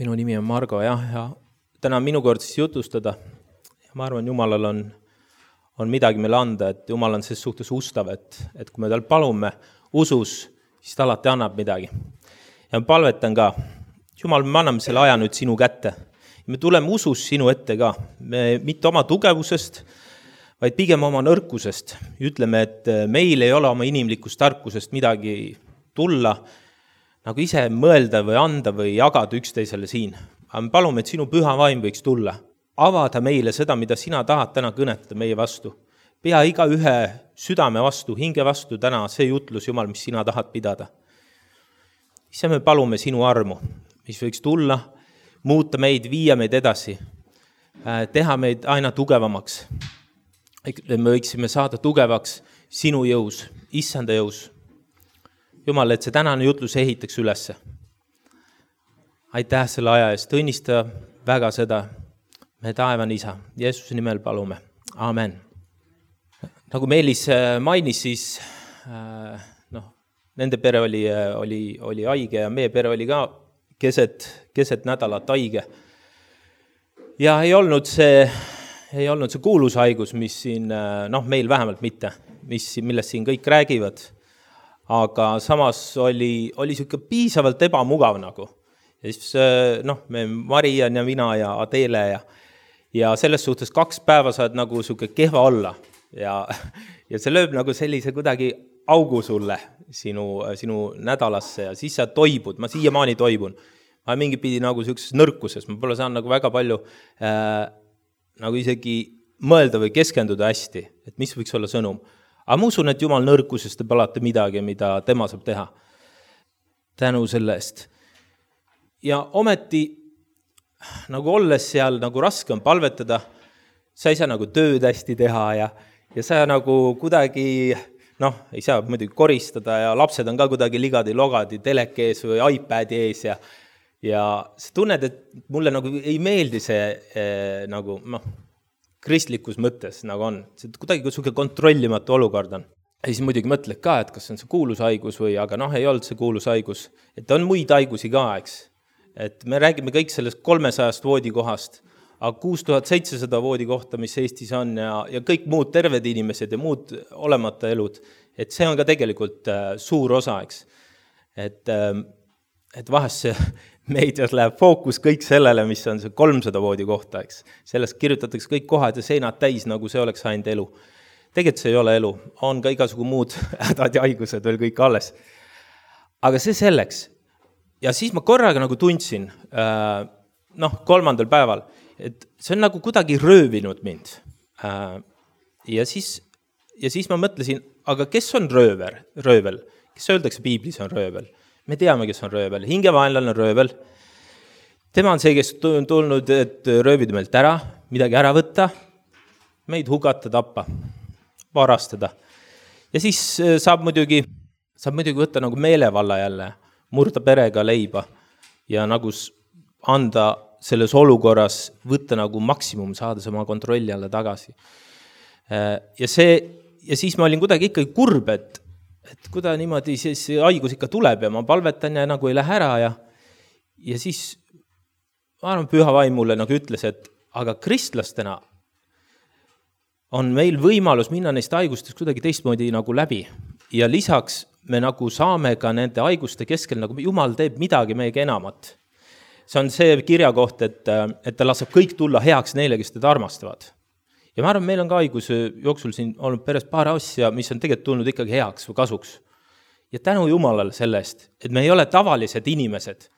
Minu nimi on Margo ja täna on minu kord siis jutustada. Ma arvan, Jumalal on midagi meile anda, et Jumal on selles suhtes ustav, et kui me tal palume usus, siis ta alati annab midagi. Ja ma palvetan ka, Jumal, me anname selle aja nüüd sinu kätte. Me tuleme usus sinu ette ka, me mitte oma tugevusest, vaid pigem oma nõrkusest. Ütleme, et meil ei ole oma inimlikust tarkusest midagi tulla, nagu ise mõelda või anda või jagada üksteisele siin. Aga me palume, et sinu püha vaim võiks tulla. Avada meile seda, mida sina tahad täna kõnetada meie vastu. Pea iga ühe südame vastu, hinge vastu täna see jutlus, Jumal, mis sina tahad pidada. Ise me palume sinu armu, mis võiks tulla, muuta meid, viia meid edasi, teha meid aina tugevamaks. Me võiksime saada tugevaks sinu jõus, issanda jõus. Jumal, et see tänane jutlus ehitaks ülesse. Aitäh selle aja eest, õnnista väga seda, me taevan isa. Jeesuse nimel palume. Amen. Nagu Meelis mainis, siis nende pere oli haige ja meie pere oli ka keset nädalat haige. Ja ei olnud see kuulus haigus, mis siin, meil vähemalt mitte, millest siin kõik räägivad. Aga samas oli siuke piisavalt ebamugav nagu. Ja siis, me Marian ja mina ja Adele ja selles suhtes 2 päeva saad nagu siuke kehva olla. Ja see lööb nagu sellise kuidagi augu sulle sinu nädalasse ja siis sa toibud. Ma siiamaani toibun. Ma mingi pidi nagu siukses nõrkuses. Ma pole saanud nagu väga palju nagu isegi mõelda või keskenduda hästi, et mis võiks olla sõnum. Aga ma usun, et Jumal nõrkusest teeb alati midagi, mida tema saab teha. Tänu selle eest. Ja ometi, nagu olles seal nagu raske on palvetada, sa ei saa nagu tööd hästi teha ja sa nagu kuidagi, ei saa muidugi koristada ja lapsed on ka kuidagi ligadi-logadi teleke ees või iPadi ees ja sa tunned, et mulle nagu ei meeldi see nagu, kristlikus mõttes nagu on. See kuidagi siuke kontrollimatu olukord on. Ja siis muidugi mõtled ka, et kas on see kuulus haigus või, aga ei olnud see kuulus haigus. Et on muid haigusi ka, eks. Et me räägime kõik sellest 300 voodikohast, aga 6700 voodikohta, mis Eestis on ja kõik muud terved inimesed ja muud olemata elud. Et see on ka tegelikult suur osa, eks. Et vahest see meedias läheb fookus kõik sellele, mis on see 300 voodi kohta, eks. Sellest kirjutatakse kõik kohad ja seinad täis, nagu see oleks ainult elu. Tegelikult see ei ole elu. On ka igasugu muud hädad ja haigused veel kõik alles. Aga see selleks. Ja siis ma korraga nagu tundsin, 3. päeval, et see on nagu kuidagi röövinud mind. Ja siis ma mõtlesin, aga kes on röövel? Kes öeldakse piiblis on röövel? Me teame, kes on röövel. Hingevaenlane on röövel. Tema on see, kes on tulnud, et röövida meilt ära, midagi ära võtta, meid hukata, tappa, varastada. Ja siis saab muidugi võtta nagu meelevalla jälle, murda perega leiba ja nagu anda selles olukorras, võtta nagu maksimum, saada oma kontrolli alla tagasi. Ja siis ma olin kuidagi ikkagi kurb, et kuida niimoodi see haigus ikka tuleb ja ma palvetan ja nagu ei lähe ära ja siis ma arvan, püha vaim mulle nagu ütles, et aga kristlastena on meil võimalus minna neist haigustest kuidagi teistmoodi nagu läbi ja lisaks me nagu saame ka nende haiguste keskel, nagu Jumal teeb midagi meiega enamat. See on see kirja koht, et ta laseb kõik tulla heaks neile, kes teda armastavad. Ja ma arvan, meil on ka haiguse jooksul siin olnud peres paar asja, mis on tegelikult tulnud ikkagi heaks või kasuks. Ja tänu Jumalale sellest, et me ei ole tavalised inimesed.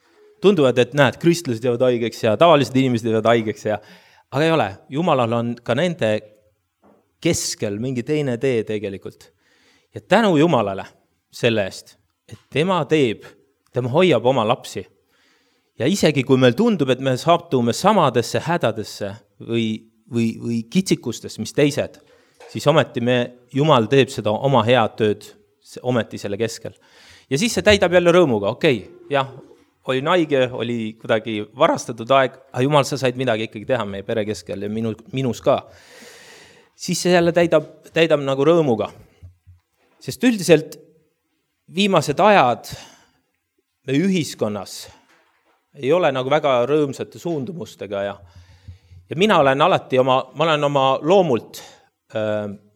Tunduvad, et näed, kristlased jäävad haigeks ja tavalised inimesed jäävad haigeks aga ei ole. Jumalal on ka nende keskel mingi teine tee tegelikult. Ja tänu Jumalale selle eest, et tema hoiab oma lapsi. Ja isegi kui meil tundub, et me saatume samadesse hädadesse või kitsikustest, mis teised, siis ometi Jumal teeb seda oma head tööd ometi selle keskel. Ja siis see täidab jälle rõõmuga, jah, olin haige, oli kuidagi varastatud aeg, aga Jumal, sa said midagi ikkagi teha meie pere keskel ja minus ka. Siis see jälle täidab nagu rõõmuga. Sest üldiselt viimased ajad me ühiskonnas ei ole nagu väga rõõmsate suundumustega ja mina olen alati ma olen oma loomult,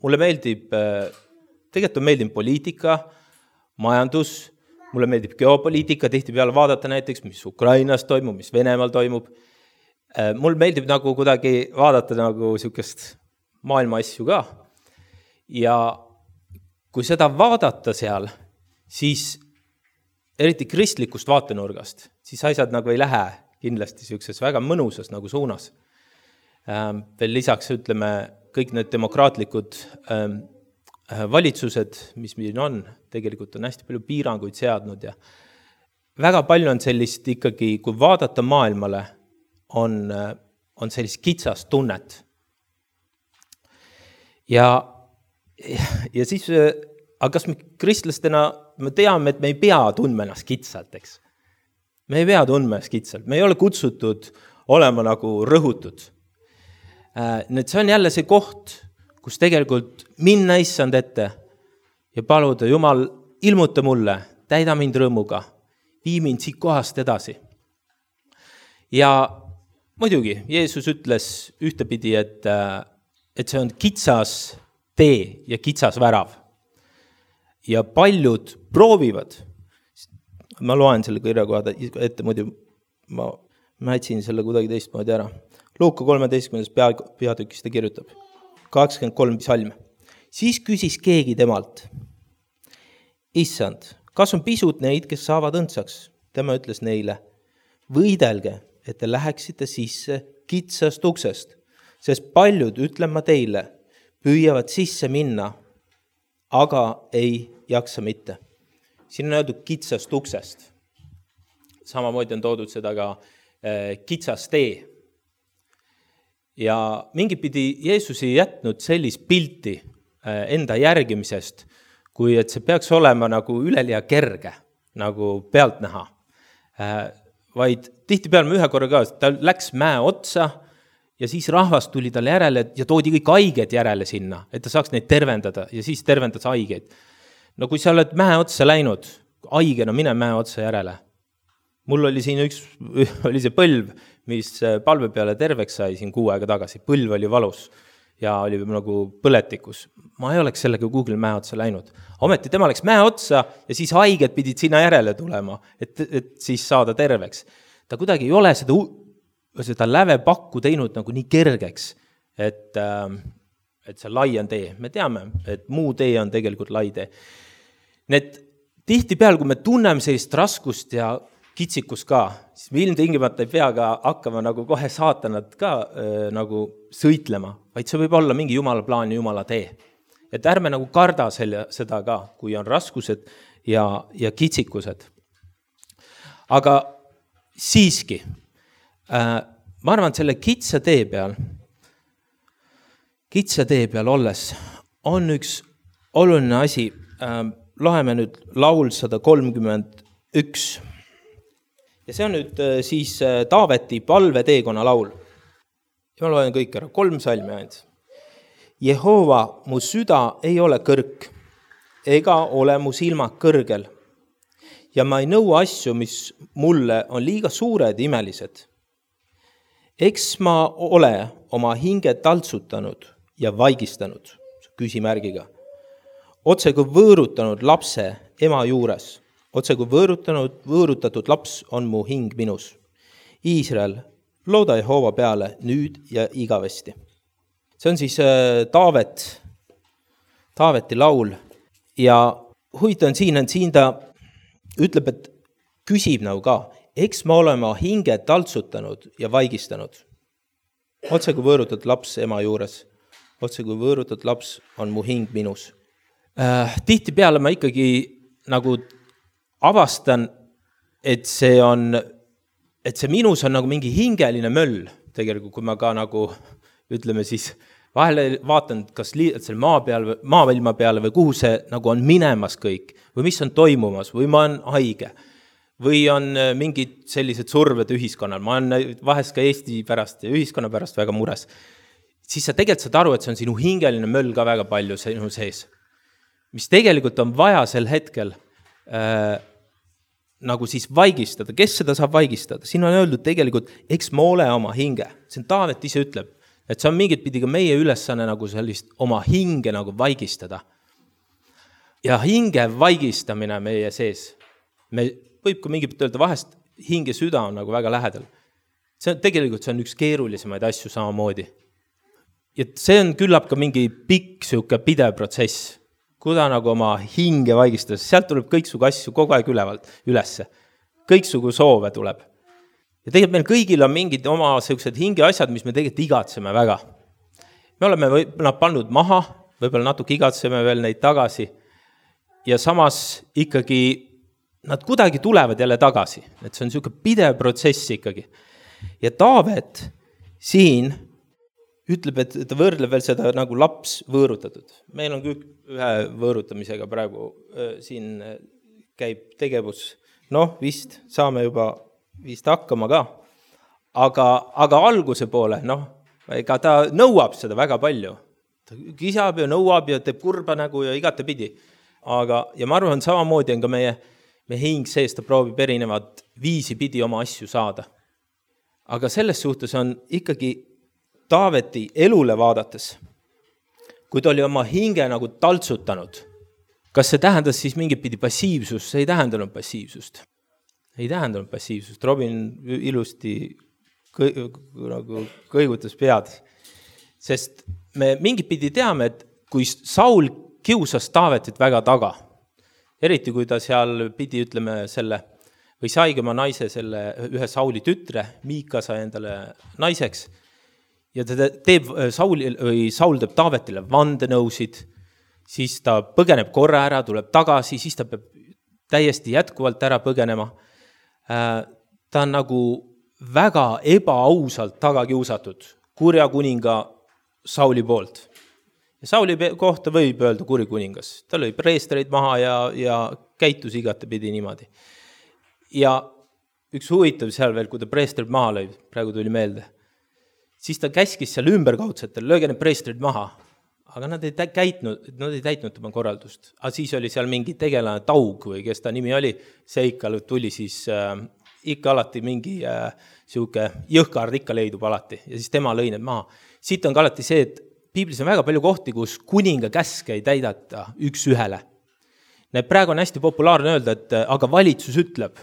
mulle meeldib, tegelikult meeldib poliitika, majandus, mulle meeldib geopoliitika, tihtipeale vaadata näiteks, mis Ukrainas toimub, mis Venemaal toimub. Mulle meeldib nagu kuidagi vaadata nagu sihukest maailma asju ka. Ja kui seda vaadata seal, siis eriti kristlikust vaatenurgast, siis asjad nagu ei lähe kindlasti sihukeses väga mõnusas nagu suunas. Veel lisaks ütleme, kõik need demokraatlikud valitsused, mis meil on, tegelikult on hästi palju piiranguid seadnud ja väga palju on sellist ikkagi, kui vaadata maailmale, on sellist kitsast tunnet. Ja siis, aga kas me kristlastena, me teame, et me ei pea tundma ennast kitsalt, eks? Me ei pea tundma ennast kitsalt, me ei ole kutsutud olema nagu rõhutud. See on jälle see koht, kus tegelikult minna issand ette ja paluda, Jumal, ilmuta mulle, täida mind rõõmuga, vii mind siit kohast edasi. Ja muidugi, Jeesus ütles ühtepidi, et see on kitsas tee ja kitsas värav. Ja paljud proovivad, ma loen selle kirja kohta ette, muidu ma etsin selle kuidagi teistmoodi ära. Luuka 13. peatükis ta kirjutab, 23 salm. Siis küsis keegi temalt, issand, kas on pisut neid, kes saavad õndsaks? Tema ütles neile, võidelge, et te läheksite sisse kitsast uksest, sest paljud, ütlen ma teile, püüavad sisse minna, aga ei jaksa mitte. Siin on öeldud kitsast uksest. Samamoodi on toodud seda ka kitsas tee. Ja mingi pidi Jeesus ei jätnud sellist pilti enda järgimisest, kui et see peaks olema nagu üleliia kerge, nagu pealt näha. Vaid tihtipeale me ühe korra ka, ta läks mäe otsa ja siis rahvas tuli talle järele ja toodi kõik haiged järele sinna, et ta saaks neid tervendada ja siis tervendas haigeid. No kui sa oled mäe otsa läinud, haigena mine mäe otsa järele. Mul oli siin oli see põlv, mis palve peale terveks sai siin 6 aega tagasi. Põlv oli valus ja oli nagu põletikus. Ma ei oleks sellega Google mäe otsa läinud. Ometi tema läks mäe otsa ja siis haiged pidid sinna järele tulema, et siis saada terveks. Ta kuidagi ei ole seda lävepakku teinud nagu nii kergeks, et see lai on tee. Me teame, et muu tee on tegelikult lai tee. Need tihtipeale, kui me tunneme sellist raskust ja kitsikus ka, siis me ilmtingimata ei pea ka hakkama nagu kohe saatanat ka nagu sõitlema, vaid see võib olla mingi Jumala plaan ja Jumala tee. Et ärme nagu karda seda ka, kui on raskused ja kitsikused. Aga siiski, ma arvan, et selle kitsa tee peal olles on üks oluline asi. Loeme nüüd laul 131. Ja see on nüüd siis Taaveti palveteekonna laul. Ja ma loen kõik ära, 3 salmi ainult. Jehova, mu süda ei ole kõrg, ega ole mu silmad kõrgel. Ja ma ei nõua asju, mis mulle on liiga suured imelised. Eks ma ole oma hinge taltsutanud ja vaigistanud, küsimärgiga. Otse kui võõrutanud lapse ema juures. Otse kui võõrutatud laps on mu hing minus. Iisrael, looda Jehova peale nüüd ja igavesti. See on siis Taaveti laul ja huvitav on siin ta ütleb, et küsib nagu ka, eks ma olema hinge taltsutanud ja vaigistanud. Otse kui võõrutatud laps ema juures. Otse kui võõrutatud laps on mu hing minus. Tihtipeale ma ikkagi nagu avastan, et see minus on nagu mingi hingeline möll, tegelikult, kui ma ka nagu, ütleme siis, vahele vaatan, kas selle maailma peale või kuhu see nagu on minemas kõik, või mis on toimumas, või ma on haige, või on mingid sellised surved ühiskonnal, ma olen vahest ka Eesti pärast ja ühiskonna pärast väga mures, siis sa tegelikult saad aru, et see on sinu hingeline möll ka väga palju sinu sees, mis tegelikult on vaja sel hetkel nagu siis vaigistada. Kes seda saab vaigistada? Siin on öeldud tegelikult, eks moole oma hinge. See on Taavet ise ütleb, et see on mingit pidi ka meie ülesanne nagu sellist oma hinge nagu vaigistada. Ja hinge vaigistamine meie sees. Me võib ka mingit öelda vahest hinge süda on nagu väga lähedal. Tegelikult see on üks keerulisemaid asju samamoodi. Ja see on küllap ka mingi pikk siuke pidev protsess. Kuda nagu oma hinge vaigistada, sealt tuleb kõiksugu asju kogu aeg ülesse. Kõiksugu soove tuleb. Ja tegelikult meil kõigil on mingid oma sellised hinge asjad, mis me tegelikult igatseme väga. Me oleme nad pannud maha, võib-olla natuke igatseme veel neid tagasi. Ja samas ikkagi nad kuidagi tulevad jälle tagasi. Et see on selline pidev protsess ikkagi. Ja Taavet siin ütleb, et ta võrdleb veel seda nagu laps võõrutatud. Meil on kõik ühe võõrutamisega praegu siin käib tegevus. Vist saame juba vist hakkama ka. Aga alguse poole, ega ta nõuab seda väga palju. Ta kisab ja nõuab ja teeb kurba nägu ja igatepidi. Ja ma arvan, samamoodi on ka meie hing sees, ta proovib erinevad viisi pidi oma asju saada. Aga selles suhtes on ikkagi Taaveti elule vaadates, kui ta oli oma hinge nagu taltsutanud, kas see tähendas siis mingit pidi passiivsust? See ei tähendanud passiivsust. Ei tähendanud passiivsust. Robin ilusti kõigutas pead. Sest me mingit pidi teame, et kui Saul kiusas Taavetit väga taga, eriti kui ta seal pidi, ütleme, või saigi oma naise ühe Sauli tütre, Miika sai endale naiseks, ja Saul teeb Taavetile vandenõusid, siis ta põgeneb korra ära, tuleb tagasi, siis ta peab täiesti jätkuvalt ära põgenema. Ta on nagu väga ebaausalt tagakiusatud kurja kuninga Sauli poolt. Ja Sauli kohta võib öelda kuri kuningas. Ta lõi preestreid maha ja käitus igatepidi niimoodi. Ja üks huvitav seal veel, kui ta preestreid maha lõi, praegu tuli meelde, siis ta käskis seal ümberkaudsetel, lööge need preestrid maha. Aga nad ei täitnud oma korraldust. Aga siis oli seal mingi tegelane Taug või kes ta nimi oli, see ikka tuli siis ikka alati mingi siuke jõhkard ikka leidub alati ja siis tema lõi need maha. Siit on ka alati see, et Piiblis on väga palju kohti, kus kuninga käske ei täidata üks ühele. Praegu on hästi populaarne öelda, et aga valitsus ütleb.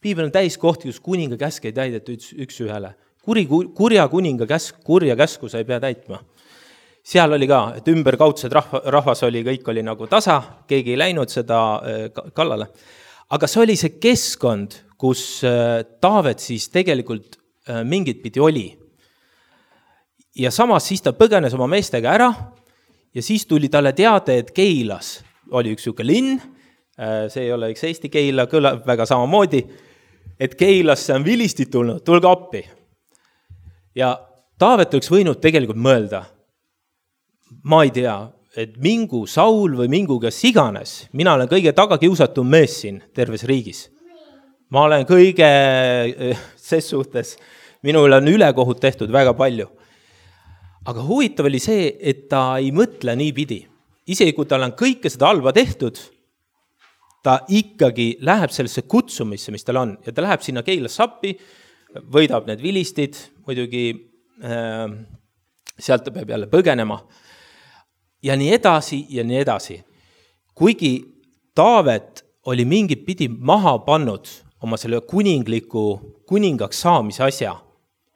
Piibel on täis kohti, kus kuninga käske ei täidata üks ühele. Kurja kuninga kurja käsku sa ei pea täitma. Seal oli ka, et ümberkaudsed rahvas oli, kõik oli nagu tasa, keegi ei läinud seda kallale. Aga see oli see keskkond, kus Taavet siis tegelikult mingit pidi oli. Ja samas siis ta põgenes oma meestega ära ja siis tuli talle teade, et Keilas oli üks siuke linn, see ei ole üks Eesti Keila, kõlab väga samamoodi, et Keilasse on vilistid tulnud, tulge appi. Ja Taavet oleks võinud tegelikult mõelda, ma ei tea, et mingu Saul või mingu kes iganes, mina olen kõige tagakiusatum mees siin terves riigis. Ma olen kõige ses suhtes, minul on ülekohut tehtud väga palju. Aga huvitav oli see, et ta ei mõtle nii pidi. Isegi kui tal on kõike seda halba tehtud, ta ikkagi läheb sellesse kutsumisse, mis tal on. Ja ta läheb sinna Keilasse appi, võidab need vilistid, muidugi sealt ta peab jälle põgenema. Ja nii edasi ja nii edasi. Kuigi Taavet oli mingit pidi maha pannud oma selle kuningaks saamise asja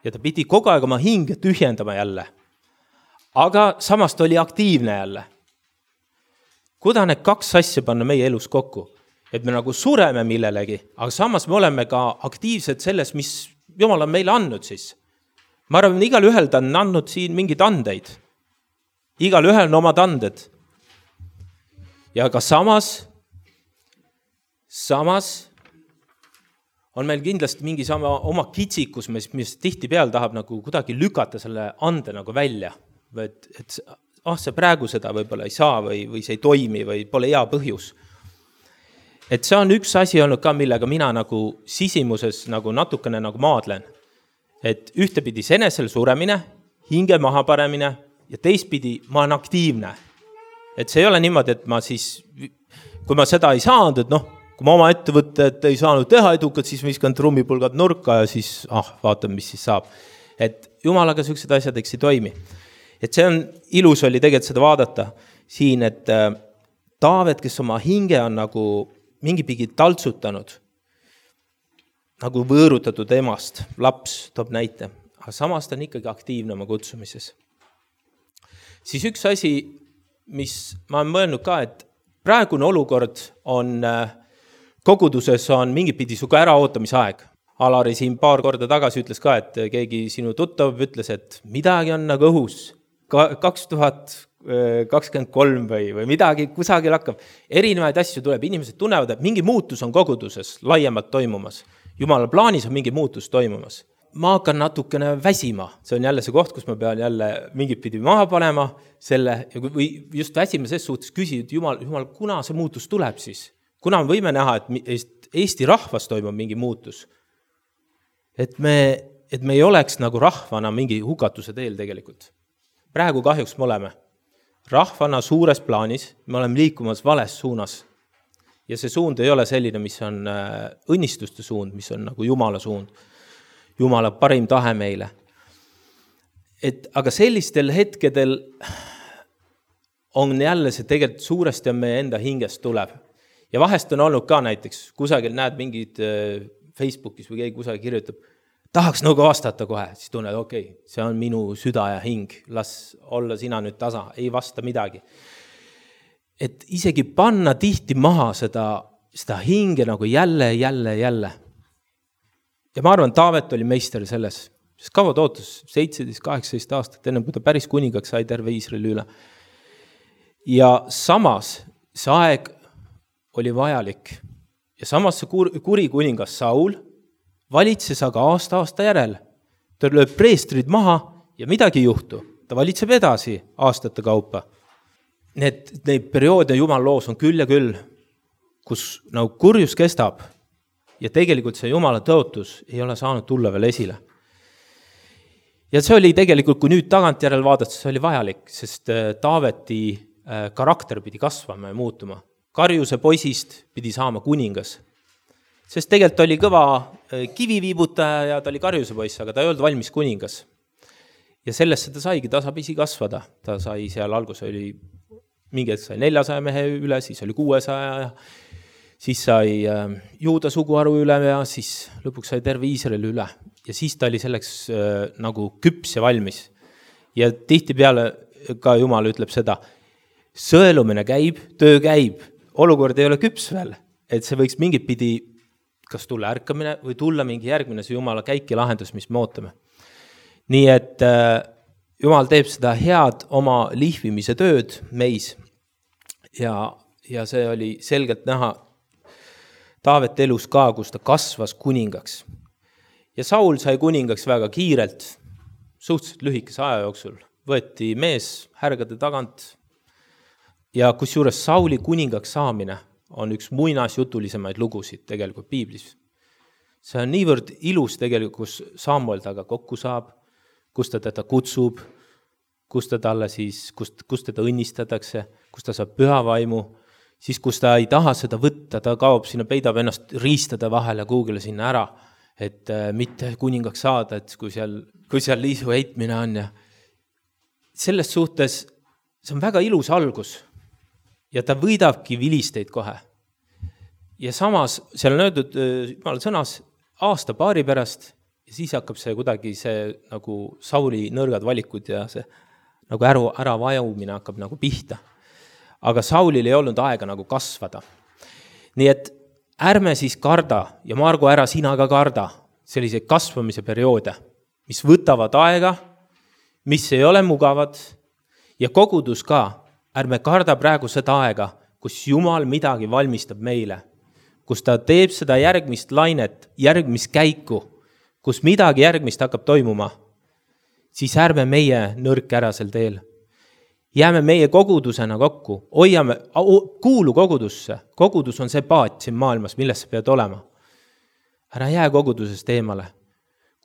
ja ta pidi kogu aeg oma hinge tühjendama jälle. Aga samast oli aktiivne jälle. Kuda need kaks asja panna meie elus kokku? Et me nagu sureme millelegi, aga samas me oleme ka aktiivsed selles, mis Jumal on meile andnud siis. Ma arvan, igal ühel ta on andnud siin mingid andeid. Igal ühel on omad anded. Ja ka samas on meil kindlasti mingi oma kitsikus, mis tihti peal tahab nagu kuidagi lükata selle ande nagu välja. Et see praegu seda võib-olla ei saa või see ei toimi või pole hea põhjus. Et see on üks asi olnud ka, millega mina nagu sisimuses nagu natukene nagu maadlen. Et ühtepidi senesel suremine, hinge maha paremine ja teistpidi ma olen aktiivne. Et see ei ole niimoodi, et ma siis, kui ma seda ei saanud, et kui ma oma ettevõtted ei saanud teha edukad, siis viskan trummipulgad nurka ja siis vaatame, mis siis saab. Et Jumalaga sellised asjad eks ei toimi. Et see on ilus oli tegelikult seda vaadata siin, et Taavet, kes oma hinge on nagu mingi pigi taltsutanud, nagu võõrutatud emast, laps toob näite, aga samas ta on ikkagi aktiivne oma kutsumises. Siis üks asi, mis ma olen mõelnud ka, et praegune olukord on, koguduses on mingi pidi suga äraootamisaeg. Alari siin paar korda tagasi ütles ka, et keegi sinu tuttav ütles, et midagi on nagu õhus, 2023 või midagi kusagil hakkab. Erinevaid asju tuleb, inimesed tunnevad, et mingi muutus on koguduses laiemalt toimumas. Jumala plaanis on mingi muutus toimumas. Ma hakkan natukene väsima, see on jälle see koht, kus ma pean jälle mingit pidi maha panema selle, või just väsima ses suhtes küsida, Jumal, kuna see muutus tuleb siis? Kuna me võime näha, et Eesti rahvas toimub mingi muutus? Et me ei oleks nagu rahvana mingi hukatuse teel tegelikult. Praegu kahjuks me oleme. Rahvana suures plaanis, me oleme liikumas vales suunas. Ja see suund ei ole selline, mis on õnnistuste suund, mis on nagu Jumala suund. Jumala parim tahe meile. Aga sellistel hetkedel on jälle see tegelikult suuresti on meie enda hingest tuleb. Ja vahest on olnud ka näiteks, kusagil näed mingid Facebookis või keegi kusagil kirjutab, tahaks nagu vastata kohe, siis tunned, okei, see on minu süda ja hing, las olla sina nüüd tasa, ei vasta midagi. Et isegi panna tihti maha seda hinge nagu jälle. Ja ma arvan, Taavet oli meister selles, sest kaua ootas 17-18 aastat, enne kui ta päris kuningaks sai terve Iisraeli üle. Ja samas see aeg oli vajalik. Ja samas see kuri kuningas Saul valitses aga aasta järel. Ta lööb preestrid maha ja midagi ei juhtu. Ta valitseb edasi aastate kaupa. Need perioode Jumal loos on küll ja küll, kus nagu kurjus kestab ja tegelikult see Jumala tõotus ei ole saanud tulla veel esile. Ja see oli tegelikult, kui nüüd tagantjärel vaadata, see oli vajalik, sest Taaveti karakter pidi kasvama ja muutuma. Karjuse poisist pidi saama kuningas. Sest tegelikult oli kõva kiviviibutaja ja ta oli karjuse poiss, aga ta ei olnud valmis kuningas. Ja sellest ta saigi tasapisi kasvada. Ta sai seal algus oli mingi hetk sai 400 mehe üle, siis oli 600 ja siis sai Juuda suguharu üle ja siis lõpuks sai terve Iisraeli üle. Ja siis ta oli selleks nagu küps ja valmis. Ja tihti peale ka Jumal ütleb seda, sõelumine käib, töö käib, olukord ei ole küps veel, et see võiks mingit pidi kas tulla ärkamine või tulla mingi järgmine see Jumala käik ja lahendus, mis me ootame. Nii et Jumal teeb seda head oma lihvimise tööd meis ja see oli selgelt näha Taavet elus ka, kus ta kasvas kuningaks. Ja Saul sai kuningaks väga kiirelt, suhteliselt lühikese aja jooksul. Võeti mees härgade tagant ja kusjuures Sauli kuningaks saamine on üks muinasjutulisemaid lugusid tegelikult Piiblis. See on niivõrd ilus tegelikult, kus Samuel taga kokku saab, kus ta teda kutsub, kus teda õnnistatakse, kus ta saab püha vaimu, siis kus ta ei taha seda võtta, ta kaob sinna, peidab ennast riistada vahele Google'e sinna ära, et mitte kuningaks saada, et kui seal liisu heitmine on. Ja selles suhtes see on väga ilus algus ja ta võidabki vilisteid kohe. Ja samas seal on öeldud Jumala sõnas aasta-paari pärast ja siis hakkab see kuidagi see nagu Sauli nõrgad valikud ja see nagu ära vajumine hakkab nagu pihta. Aga Saulil ei olnud aega nagu kasvada. Nii et ärme siis karda ja Margo ära sina ka karda selliseid kasvamise perioode, mis võtavad aega, mis ei ole mugavad ja kogudus ka. Ärme karda praegu seda aega, kus Jumal midagi valmistab meile, kus ta teeb seda järgmist lainet, järgmist käiku, kus midagi järgmist hakkab toimuma, siis ärme meie nõrk ära sel teel. Jääme meie kogudusena kokku, kuulu kogudusse. Kogudus on see paat siin maailmas, milles sa pead olema. Ära jää kogudusest eemale.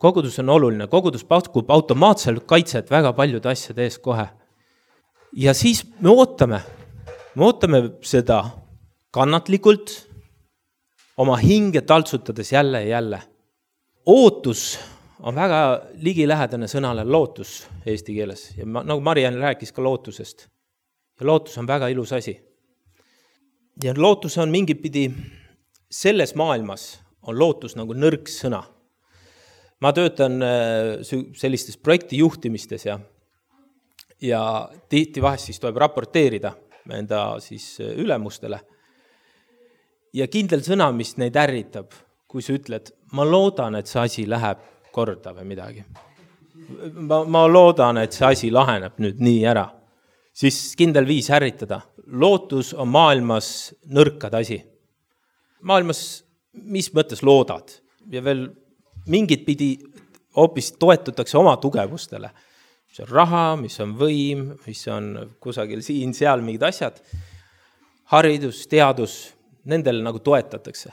Kogudus on oluline. Kogudus pakub automaatselt kaitset väga paljude asjade ees kohe. Ja siis me ootame seda kannatlikult, oma hinge taltsutades jälle ja jälle. Ootus on väga ligilähedane sõnale lootus eesti keeles ja nagu Mariann rääkis ka lootusest. Ja lootus on väga ilus asi. Ja lootus on mingit pidi, selles maailmas on lootus nagu nõrk sõna. Ma töötan sellistes projektijuhtimistes ja tihti vahest siis tuleb raporteerida enda siis ülemustele. Ja kindel sõna, mis neid ärritab, kui sa ütled, ma loodan, et see asi läheb korda või midagi. Ma loodan, et see asi laheneb nüüd nii ära. Siis kindel viis ärritada. Lootus on maailmas nõrkad asi. Maailmas, mis mõttes loodad? Ja veel mingit pidi hoopis toetutakse oma tugevustele. Mis on raha, mis on võim, mis on kusagil siin, seal mingid asjad. Haridus, teadus, nendele nagu toetatakse.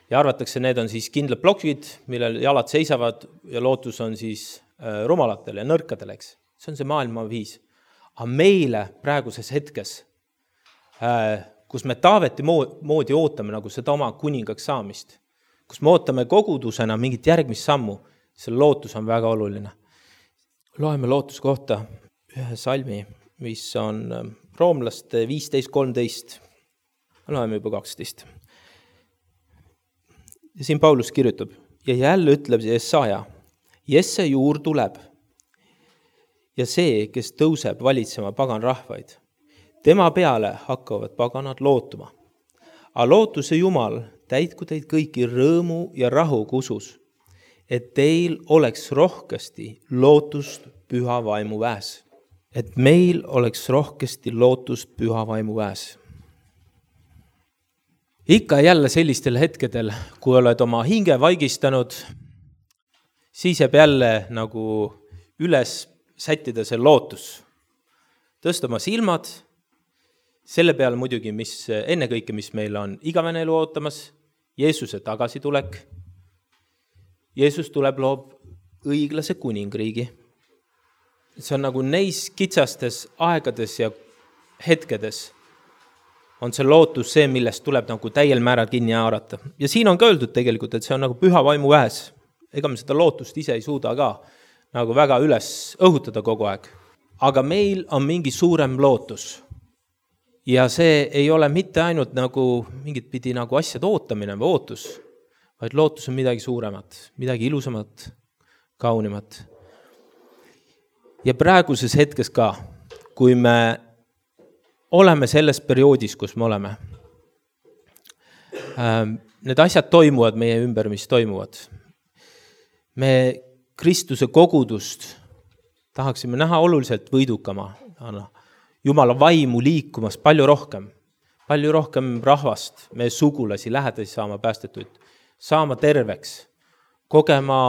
Ja arvatakse, need on siis kindlad plokid, millel jalad seisavad ja lootus on siis rumalatele ja nõrkadele, eks. See on see maailma viis. Aga meile praeguses hetkes, kus me Taaveti moodi ootame nagu seda oma kuningaks saamist, kus me ootame kogudusena mingit järgmist sammu, see lootus on väga oluline. Loeme lootuse kohta ühe salmi, mis on Roomlaste 15:13. Loeme juba 12. Ja siin Paulus kirjutab, ja jälle ütleb Jesaja, Jesse juur tuleb ja see, kes tõuseb valitsema pagan rahvaid. Tema peale hakkavad paganad lootuma. A lootuse Jumal täitku teid kõiki rõõmu ja rahu kusus, et teil oleks rohkesti lootust püha vaimu väes. Et meil oleks rohkesti lootust püha vaimu väes. Ikka jälle sellistel hetkedel, kui oled oma hinge vaigistanud, siis jääb jälle nagu üles sättida see lootus. Tõsta oma silmad, selle peale muidugi, ennekõike, mis meil on igavene elu ootamas, Jeesuse tagasitulek. Jeesus tuleb, loob õiglase kuningriigi. See on nagu neis kitsastes aegades ja hetkedes on see lootus see, millest tuleb nagu täiel määral kinni haarata. Ja siin on ka öeldud tegelikult, et see on nagu püha vaimu väes. Ega me seda lootust ise ei suuda ka nagu väga üles õhutada kogu aeg. Aga meil on mingi suurem lootus. Ja see ei ole mitte ainult nagu mingit pidi nagu asjad ootamine või ootus, vaid lootus on midagi suuremat, midagi ilusamat, kaunimat. Ja praeguses hetkes ka, kui me oleme selles perioodis, kus me oleme. Need asjad toimuvad meie ümber, mis toimuvad. Me Kristuse kogudust tahaksime näha oluliselt võidukama. Jumala vaimu liikumas palju rohkem rahvast, meie sugulasi, lähedasi saama päästetuid, saama terveks, kogema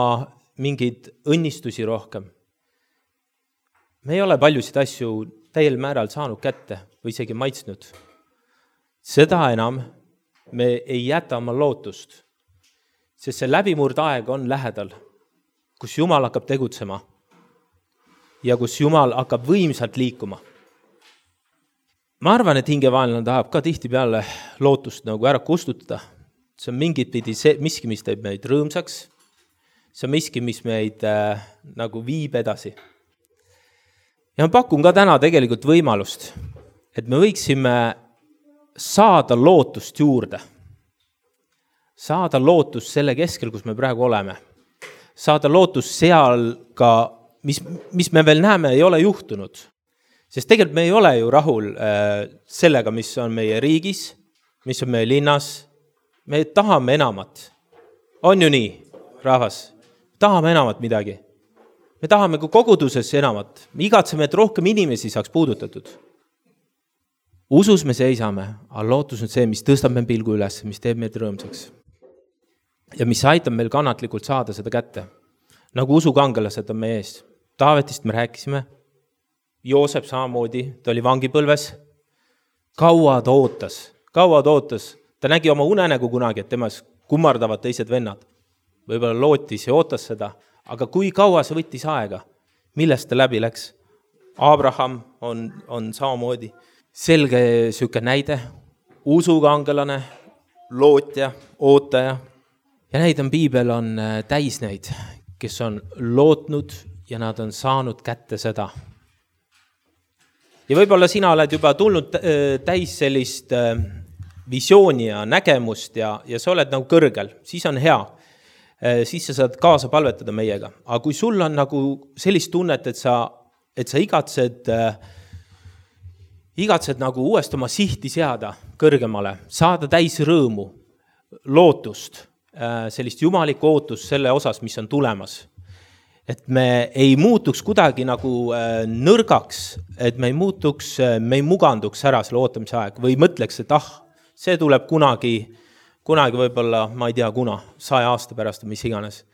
mingeid õnnistusi rohkem. Me ei ole paljusid asju täiel määral saanud kätte või isegi maitsnud. Seda enam me ei jäta oma lootust, sest see läbimurdaeg on lähedal, kus Jumal hakkab tegutsema ja kus Jumal hakkab võimsalt liikuma. Ma arvan, et hingevaenlane tahab ka tihtipeale lootust nagu ära kustutada. See on mingit pidi miski, mis teeb meid rõõmsaks. See on miski, mis meid nagu viib edasi. Ja ma pakun ka täna tegelikult võimalust, et me võiksime saada lootust juurde. Saada lootust selle keskel, kus me praegu oleme. Saada lootust seal ka, mis me veel näeme, ei ole juhtunud. Sest tegelikult me ei ole ju rahul sellega, mis on meie riigis, mis on meie linnas. Me tahame enamat. On ju nii, rahvas? Tahame enamat midagi. Me tahame ka koguduses enamat. Me igatseme, et rohkem inimesi saaks puudutatud. Usus me seisame, aga lootus on see, mis tõstab meil pilgu üles, mis teeb meid rõõmsaks. Ja mis aitab meil kannatlikult saada seda kätte. Nagu usukangelased on meie ees. Taavetist me rääkisime. Joosep samamoodi, ta oli vangipõlves. Kaua ta ootas. Ta nägi oma unenägu kunagi, et temas kummardavad teised vennad. Võib-olla lootis ja ootas seda. Aga kui kaua see võttis aega? Millest ta läbi läks? Abraham on samamoodi selge süke näide. Usukangelane, lootja, ootaja. Ja neid piibel on täis neid, kes on lootnud ja nad on saanud kätte seda. Ja võib-olla sina oled juba tulnud täis sellist visiooni ja nägemust ja sa oled nagu kõrgel, siis on hea. Siis sa saad kaasa palvetada meiega. Aga kui sul on nagu sellist tunnet, et sa igatsed nagu uuesti oma sihti seada kõrgemale, saada täis rõõmu, lootust, sellist jumalikku ootust selle osas, mis on tulemas. Et me ei muutuks kuidagi nagu nõrgaks, et me ei muganduks ära selle ootamise aeg või mõtleks, et see tuleb kunagi võib-olla, ma ei tea 100 aasta pärast või mis iganes.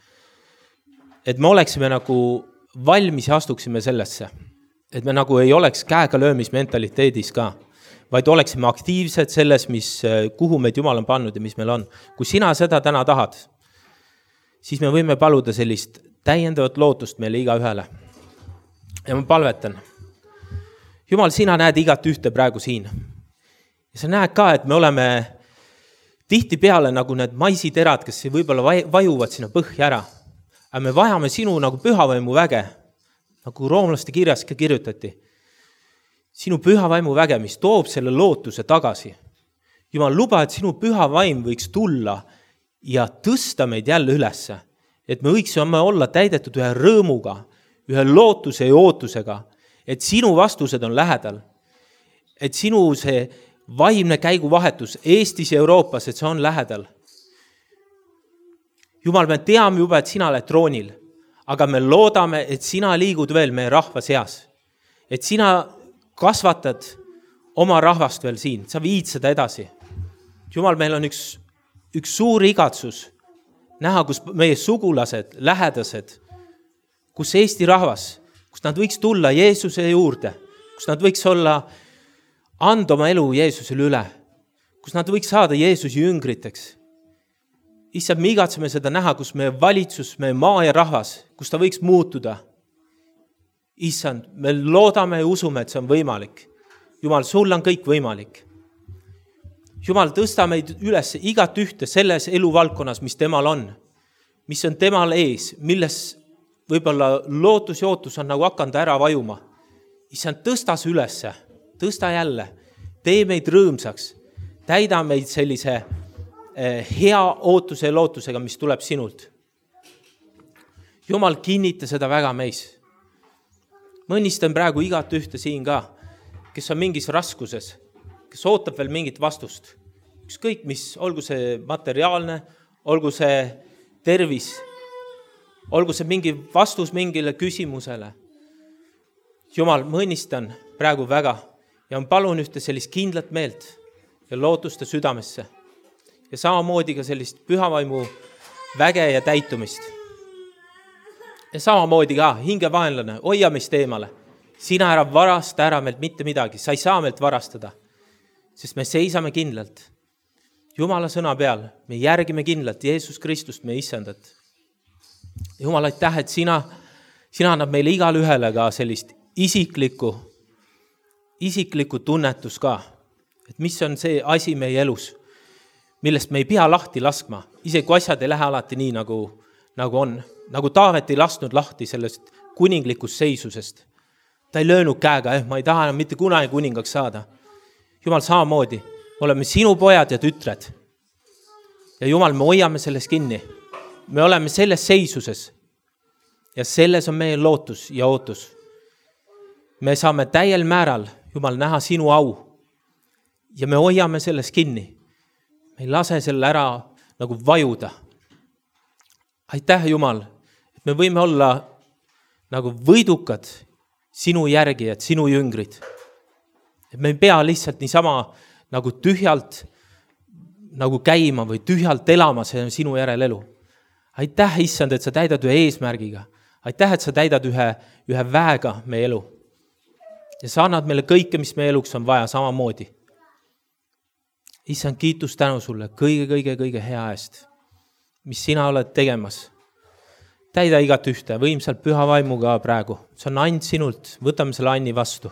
Et me oleksime nagu valmis ja astuksime sellesse. Et me nagu ei oleks käega löömismentaliteedis ka, vaid oleksime aktiivsed selles, kuhu meid Jumal on pannud ja mis meil on. Kui sina seda täna tahad, siis me võime paluda sellist täiendavat lootust meile iga ühele. Ja ma palvetan. Jumal, sina näed igat ühte praegu siin. Ja sa näed ka, et me oleme tihti peale nagu need maisiterad, kes võib-olla vajuvad sinna põhja ära. Aga me vajame sinu nagu pühavaimu väge, nagu roomlaste kirjas ka kirjutati. Sinu pühavaimu väge, mis toob selle lootuse tagasi. Jumal, luba, et sinu pühavaim võiks tulla ja tõsta meid jälle ülesse. Et me võiksime olla täidetud ühe rõõmuga, ühe lootuse ja ootusega, et sinu vastused on lähedal. Et sinu see vaimne käiguvahetus Eestis ja Euroopas, et see on lähedal. Jumal, me teame juba, et sina oled troonil, aga me loodame, et sina liigud veel meie rahva seas. Et sina kasvatad oma rahvast veel siin, sa viid seda edasi. Jumal, meil on üks suur igatsus näha, kus meie sugulased, lähedased, kus Eesti rahvas, kus nad võiks tulla Jeesuse juurde, kus nad võiks anda oma elu Jeesusele üle, kus nad võiks saada Jeesuse jüngriteks. Issand, me igatseme seda näha, kus meie valitsus, meie maa ja rahvas, kus ta võiks muutuda. Issand, me loodame ja usume, et see on võimalik. Jumal, sul on kõik võimalik. Jumal, tõsta meid üles igat ühte selles eluvaldkonnas, mis temal on, mis on temal ees, milles võib-olla lootus ja ootus on nagu hakanud ära vajuma. Issand, tõsta see ülesse, tõsta jälle, tee meid rõõmsaks, täida meid sellise hea ootuse ja lootusega, mis tuleb sinult. Jumal, kinnita seda väga meis. Ma õnnistan praegu igat ühte siin ka, kes on mingis raskuses, kes ootab veel mingit vastust. Ükskõik mis, olgu see materiaalne, olgu see tervis, olgu see mingi vastus mingile küsimusele. Jumal, ma õnnistan praegu väga ja ma palun ühte sellist kindlat meelt ja lootuste südamesse. Ja samamoodi ka sellist pühavaimu väge ja täitumist. Ja samamoodi ka hingevaenlane, hoia meist eemale. Sina ära varasta ära meilt mitte midagi, sa ei saa meilt varastada, sest me seisame kindlalt Jumala sõna peal, me järgime kindlalt Jeesus Kristust, meie issandat. Jumal, aitäh, et sina annab meile igal ühele ka sellist isiklikku tunnetus ka, et mis on see asi meie elus, millest me ei pea lahti laskma, isegi kui asjad ei lähe alati nii, nagu on. Nagu Taavet ei lasknud lahti sellest kuninglikust seisusest. Ta ei löönud käega, ma ei taha enam mitte kunagi kuningaks saada. Jumal, samamoodi, oleme sinu pojad ja tütred. Ja Jumal, me hoiame selles kinni. Me oleme selles seisuses. Ja selles on meie lootus ja ootus. Me saame täiel määral, Jumal, näha sinu au. Ja me hoiame selles kinni. Me ei lase selle ära nagu vajuda. Aitäh, Jumal, et me võime olla nagu võidukad sinu järgijad, sinu jüngrid. Et me ei pea lihtsalt niisama nagu tühjalt nagu käima või tühjalt elama, see on sinu järel elu. Aitäh, issand, et sa täidad ühe eesmärgiga. Aitäh, et sa täidad ühe väega meie elu. Ja sa annad meile kõike, mis meie eluks on vaja samamoodi. Issand, kiitus tänu sulle kõige hea eest, mis sina oled tegemas. Täida igat ühte, võimsalt püha vaimuga praegu. See on and sinult, võtame selle anni vastu.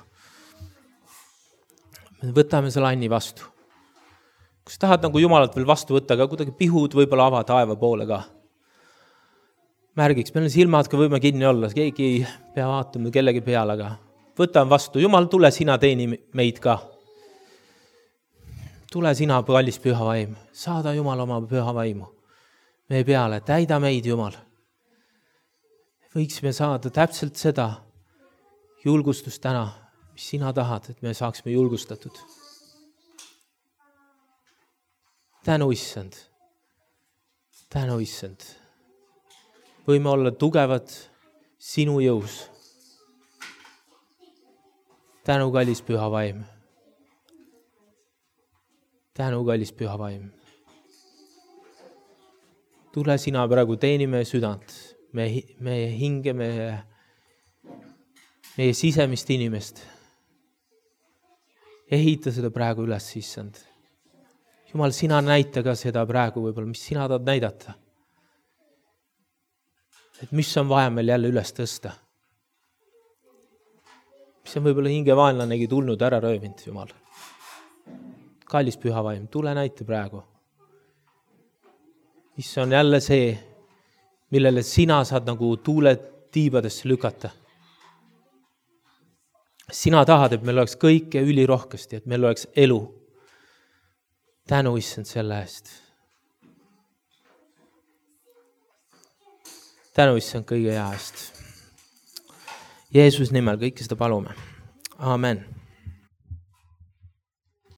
Võtame selle anni vastu. Kui sa tahad nagu Jumalat veel vastu võtta, aga kuidagi pihud võib-olla ava taeva poole ka. Märgiks, meil on silmad, kui võime kinni olla, keegi ei pea vaatama kellegi peale, aga võtan vastu. Jumal, tule sina teeni meid ka. Tule sina, kallis püha vaim. Saada Jumal oma püha vaimu meie peale. Täida meid, Jumal. Võiksime saada täpselt seda julgustust täna, mis sina tahad, et me saaksime julgustatud. Tänu, Issand. Tänu, Issand. Võime olla tugevad sinu jõus. Tänu, kallis püha vaim. Tänu, kallis püha vaim. Tule sina praegu teeni meie südant, meie hinge, meie sisemist inimest. Ehita seda praegu üles, Issand. Jumal, sina näita ka seda praegu võib-olla, mis sina tahad näidata. Et mis on vaja meil jälle üles tõsta. Mis on võib-olla hingevaenlanegi tulnud ära röövinud, Jumal. Kallis püha vaim, tule näita praegu. Mis on jälle see, millele sina saad nagu tuule tiibadesse lükata. Sina tahad, et meil oleks kõike ülirohkesti, et meil oleks elu. Tänu, Issand, selle eest. Tänu, Issand, kõige hea eest. Jeesus nimel kõike seda palume. Amen.